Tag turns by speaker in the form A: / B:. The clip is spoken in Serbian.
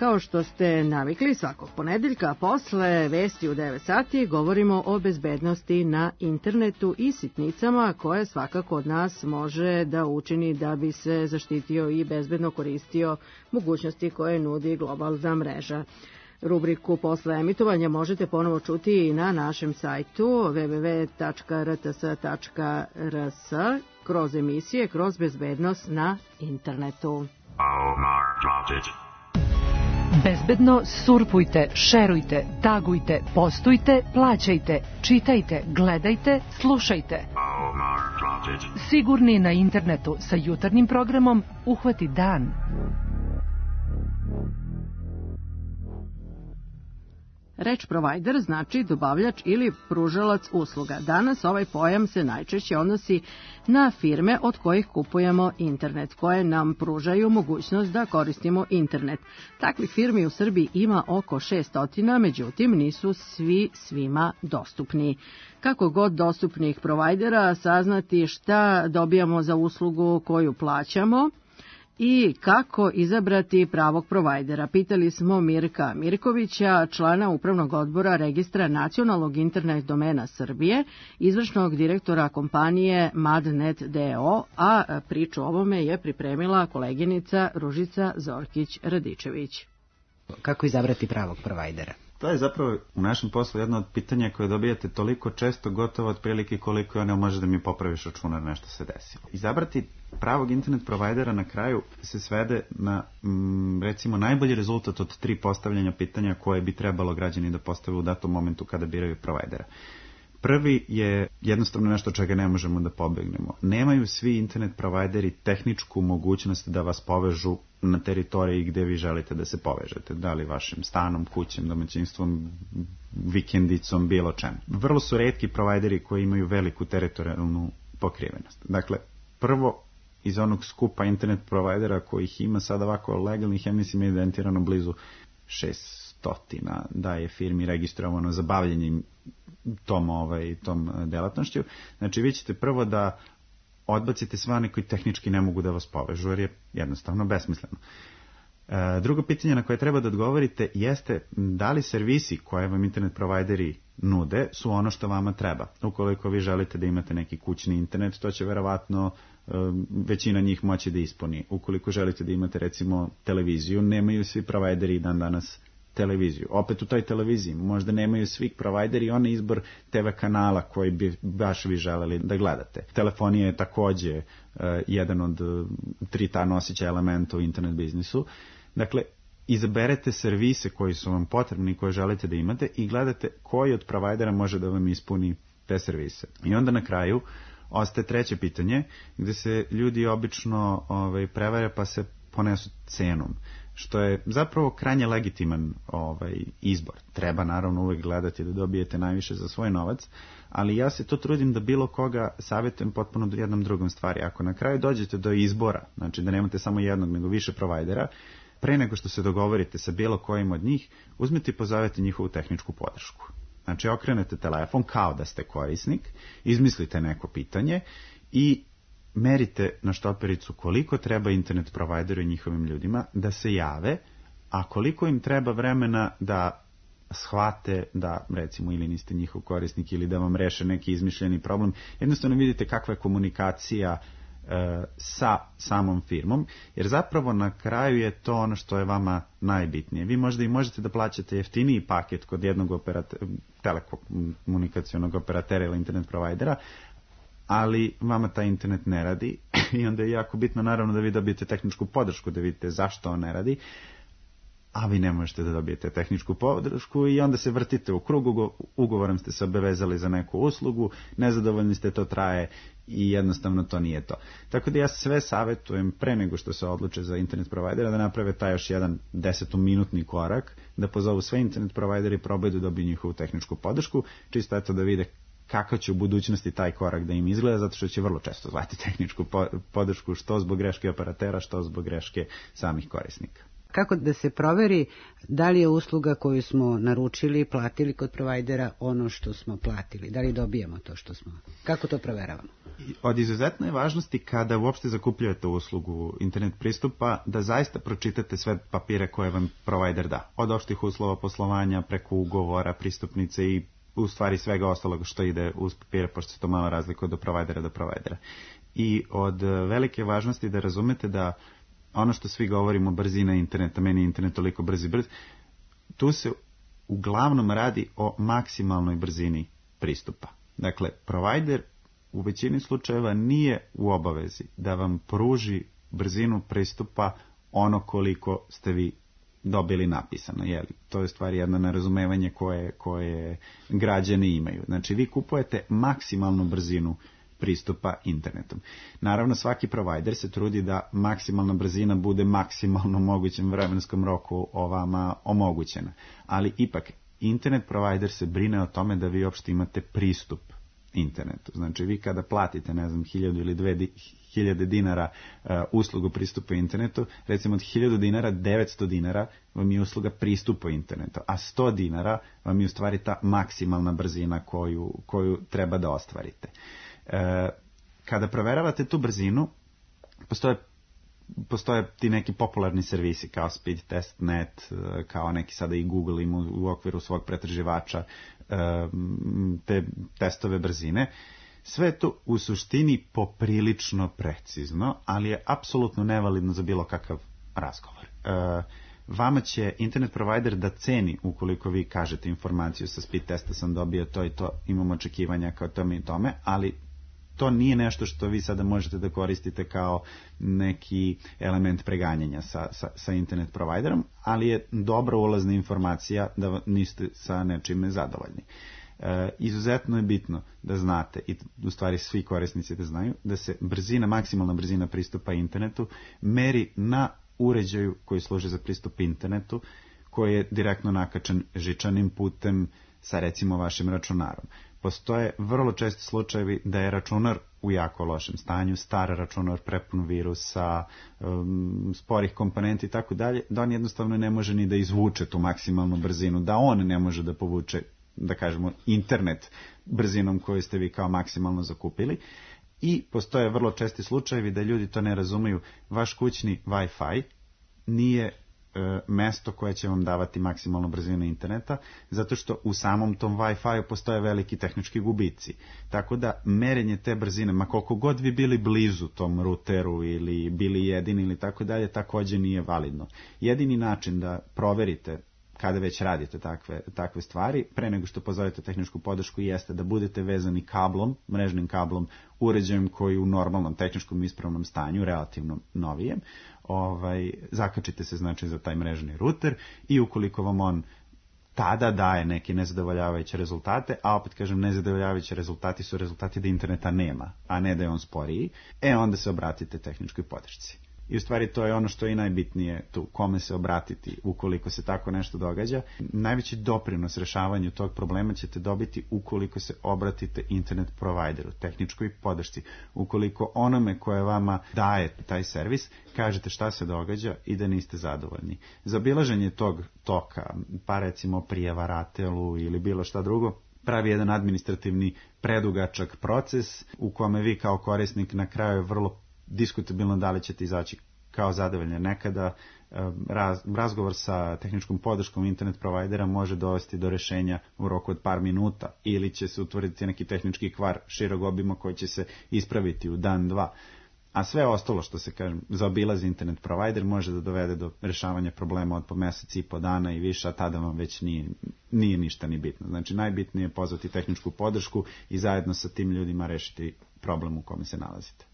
A: Kao što ste navikli, svakog ponedeljka posle vesti u 9 sati govorimo o bezbednosti na internetu i sitnicama koje svakako od nas može da učini da bi se zaštitio i bezbedno koristio mogućnosti koje nudi globalna mreža. Rubriku posle emitovanja možete ponovo čuti i na našem sajtu www.rts.rs kroz emisije kroz bezbednost na internetu.
B: Bezbedno surfujte, šerujte, tagujte, postujte, plaćajte, čitajte, gledajte, slušajte. Sigurni na internetu sa jutarnjim programom Uhvati dan.
A: Reč provider znači dobavljač ili pružalac usluga. Danas ovaj pojam se najčešće odnosi na firme od kojih kupujemo internet, koje nam pružaju mogućnost da koristimo internet. Takvih firmi u Srbiji ima oko 600, međutim nisu svi svima dostupni. Kako god dostupnih provajdera saznati šta dobijamo za uslugu koju plaćamo i kako izabrati pravog provajdera. Pitali smo Mirka Mirkovića, člana Upravnog odbora Registra nacionalnog internet domena Srbije, izvršnog direktora kompanije Madnet DO, a priču o ovome je pripremila koleginica Ružica Zorkić-Radičević.
C: Kako izabrati pravog provajdera?
D: To je zapravo u našem poslu jedno od pitanja koje dobijate toliko često, gotovo otprilike koliko je ono može da mi popraviš računar, nešto se desilo. Izabrati pravog internet provajdera na kraju se svede na recimo najbolji rezultat od 3 postavljanja pitanja koje bi trebalo građani da postave u datom momentu kada biraju provajdera. Prvi je jednostavno nešto čega ne možemo da pobegnemo. Nemaju svi internet provajderi tehničku mogućnost da vas povežu na teritoriji gde vi želite da se povežete. Da li vašim stanom, kućem, domaćinstvom, vikendicom, bilo čemu. Vrlo su retki provajderi koji imaju veliku teritorijalnu pokrivenost. Dakle, prvo iz onog skupa internet provajdera kojih ima sad ovako legalnih, ja mislim je evidentirano blizu 600 da je firmi registrovano za bavljenje tom delatnošću. Znači vi ćete prvo da odbacite sve one koji tehnički ne mogu da vas povežu, jer je jednostavno besmisleno. Drugo pitanje na koje treba da odgovorite jeste da li servisi koje vam internet provajderi nude su ono što vama treba. Ukoliko vi želite da imate neki kućni internet, to će verovatno većina njih moći da ispuni. Ukoliko želite da imate recimo televiziju, nemaju svi provajderi dan danas televiziju. Opet u toj televiziji možda nemaju svi provajderi onaj izbor TV kanala koji bi baš vi želeli da gledate. Telefonija je takođe jedan od 3 ta nosića elementa u internet biznisu. Dakle, izaberete servise koji su vam potrebni i koje želite da imate i gledate koji od provajdera može da vam ispuni te servise. I onda na kraju ostaje treće pitanje gde se ljudi obično prevare pa se ponesu cenom, što je zapravo krajnje legitiman izbor. Treba naravno uvek gledati da dobijete najviše za svoj novac, ali ja se to trudim da bilo koga savjetujem potpuno jednom drugom stvari. Ako na kraju dođete do izbora, znači da nemate samo jednog nego više provajdera, pre nego što se dogovorite sa bilo kojim od njih, uzmite i pozovete njihovu tehničku podršku. Znači okrenete telefon kao da ste korisnik, izmislite neko pitanje i merite na štopericu koliko treba internet provideru i njihovim ljudima da se jave, a koliko im treba vremena da shvate da recimo ili niste njihov korisnik ili da vam reše neki izmišljeni problem. Jednostavno vidite kakva je komunikacija sa samom firmom, jer zapravo na kraju je to ono što je vama najbitnije. Vi možda i možete da plaćate jeftiniji paket kod jednog telekomunikacionog operatera ili internet provajdera, ali vama taj internet ne radi i onda je jako bitno naravno da vi dobijete tehničku podršku, da vidite zašto on ne radi, a vi ne možete da dobijete tehničku podršku i onda se vrtite u krug, ugovorom ste se obavezali za neku uslugu, nezadovoljni ste, to traje i jednostavno to nije to. Tako da ja sve savjetujem pre nego što se odluče za internet provajdera da naprave taj još jedan 10-minutni korak, da pozovu sve internet provajdere i probaju da dobiju njihovu tehničku podršku, čisto eto da vide kako će u budućnosti taj korak da im izgleda, zato što će vrlo često zvati tehničku podršku što zbog greške operatera, što zbog greške samih korisnika.
C: Kako da se proveri da li je usluga koju smo naručili, platili kod provajdera ono što smo platili? Da li dobijamo to što smo? Kako to proveravamo?
D: Od izuzetne važnosti kada uopšte zakupljujete uslugu internet pristupa, da zaista pročitate sve papire koje vam provajder da. Od opštih uslova poslovanja, preko ugovora, pristupnice i u stvari svega ostalog što ide uz papire, pošto se to malo razlikuje do provajdera do provajdera. I od velike važnosti da razumete da ono što svi govorimo, brzina interneta, meni je internet toliko brz, tu se uglavnom radi o maksimalnoj brzini pristupa. Dakle, provajder u većini slučajeva nije u obavezi da vam pruži brzinu pristupa ono koliko ste vi dobili napisano. Jeli? To je stvari jedno nerazumevanje koje građani imaju. Znači, vi kupujete maksimalnu brzinu pristupa internetom. Naravno, svaki provajder se trudi da maksimalna brzina bude maksimalno mogućem vremenskom roku vama omogućena. Ali ipak, internet provajder se brine o tome da vi uopšte imate pristup internetu. Znači, vi kada platite, 1000 ili 2000 dinara uslugu pristupa internetu, recimo od 1000 dinara, 900 dinara vam je usluga pristupa internetu, a 100 dinara vam je u stvari ta maksimalna brzina koju treba da ostvarite. Kada proveravate tu brzinu, postoje ti neki popularni servisi kao Speedtest.net, kao neki sada i Google ima u okviru svog pretraživača te testove brzine. Sve je to u suštini poprilično precizno, ali je apsolutno nevalidno za bilo kakav razgovor. Vama će internet provider da ceni ukoliko vi kažete informaciju sa speed testa sam dobio to i to, imam očekivanja kao tome i tome, ali to nije nešto što vi sada možete da koristite kao neki element preganjanja sa internet providerom, ali je dobra ulazna informacija da niste sa nečime zadovoljni. Izuzetno je bitno da znate, i u stvari svi korisnici da znaju, da se maksimalna brzina pristupa internetu meri na uređaju koji služi za pristup internetu, koji je direktno nakačen žičanim putem sa recimo vašim računarom. Postoje vrlo česti slučajevi da je računar u jako lošem stanju, star računar prepun virusa, sporih komponenti i tako dalje, da on jednostavno ne može ni da izvuče tu maksimalnu brzinu, da on ne može da povuče, da kažemo, internet brzinom koju ste vi kao maksimalno zakupili. I postoje vrlo česti slučajevi da ljudi to ne razumeju. Vaš kućni Wi-Fi nije mesto koje će vam davati maksimalnu brzinu interneta, zato što u samom tom Wi-Fi postoje veliki tehnički gubici. Tako da merenje te brzine, ma koliko god vi bili blizu tom ruteru ili bili jedini ili tako dalje, također nije validno. Jedini način da proverite kada već radite takve stvari, pre nego što pozovete tehničku podršku, jeste da budete vezani kablom, mrežnim kablom, uređajem koji u normalnom tehničkom ispravnom stanju, relativno novijem, zakačite se znači za taj mrežni ruter i ukoliko vam on tada daje neke nezadovoljavajuće rezultate, a opet kažem nezadovoljavajući rezultati su rezultati da interneta nema, a ne da je on sporiji, onda se obratite tehničkoj podršci. I u stvari to je ono što je i najbitnije tu, kome se obratiti ukoliko se tako nešto događa. Najveći doprinos rešavanju tog problema ćete dobiti ukoliko se obratite internet provideru, tehničkoj podršci. Ukoliko onome koje vama daje taj servis, kažete šta se događa i da niste zadovoljni. Za obilaženje tog toka, pa recimo prijava RATEL-u ili bilo šta drugo, pravi jedan administrativni predugačak proces u kome vi kao korisnik na kraju je vrlo diskutabilno da li ćete izaći kao zadovoljni. Nekada razgovor sa tehničkom podrškom internet provajdera može dovesti do rešenja u roku od par minuta ili će se utvrditi neki tehnički kvar širog obima koji će se ispraviti u dan, dva. A sve ostalo što se zaobilazi internet provider može da dovede do rešavanja problema od po mesec i po dana i više, a tada vam već nije ništa ni bitno. Znači najbitnije je pozvati tehničku podršku i zajedno sa tim ljudima rešiti problem u kome se nalazite.